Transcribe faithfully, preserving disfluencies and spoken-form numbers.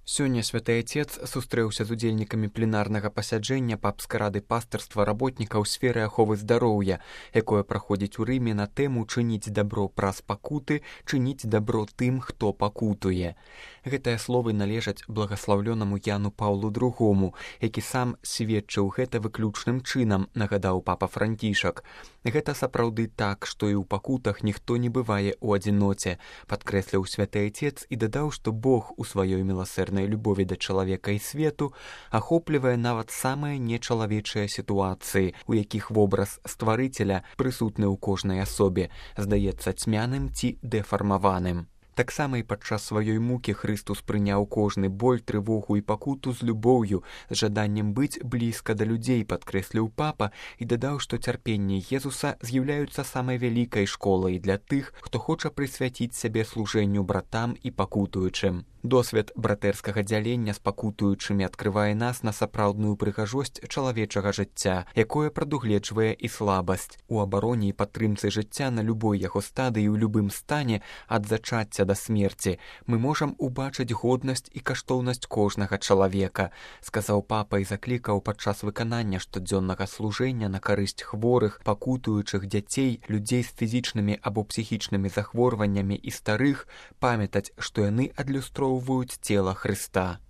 Сёння святы Отец сустрэўся з удзельнікамі пленарнага пасяджэння папскай рады пастырства работнікаў сферы аховы здароўя, якое праходзіць у Рыме на тэму «Чыніць дабро праз пакуты, чыніць дабро тым, хто пакутуе». Гэтыя словы належаць благаслаўлёнаму Яну Паўлу другому, які сам сведчыў гэта выключным чынам, нагадаў папа Францішак. Гэта сапраўды так, што і ў пакутах ніхто не бывае ў адзіноце, падкрэсліў святы Отец і дадаў, што Бог у сваёй міласэрнай любові да чалавека і свету ахоплівае нават самыя нечалавечыя сітуацыі, у якіх вобраз стварыцеля прысутны ў кожнай асобе, здаецца цьмяным ці дэфармаваным. Таксама і падчас сваёй мукі Хрыстус прыняў кожны боль, трывогу і пакуту з любоўю, з жаданнем быць блізка да людзей, падкрэсліў папа і дадаў, што цярпенні Езуса з'яўляюцца самай вялікай школай для тых, хто хоча прысвяціць сябе служэнню братам і пакутуючым. Досвед братэрскага дзялення з пакутуючымі адкрывае нас на сапраўдную прыгажосць чалавечага жыцця, якое прадугледжвае і слабасць. У абароне і падтрымцы жыцця на любой яго стадыі ў любым стане ад зачацця да смерці мы можам убачыць годнасць і каштоўнасць кожнага чалавека, сказаў папа і заклікаў падчас выканання штодзённага служэння на карысць хворых, пакутуючых дзяцей, людзей з фізічнымі або псіхічнымі захворваннямі і старых памятаць, што яны адлюстроўваюць цела Хрыста.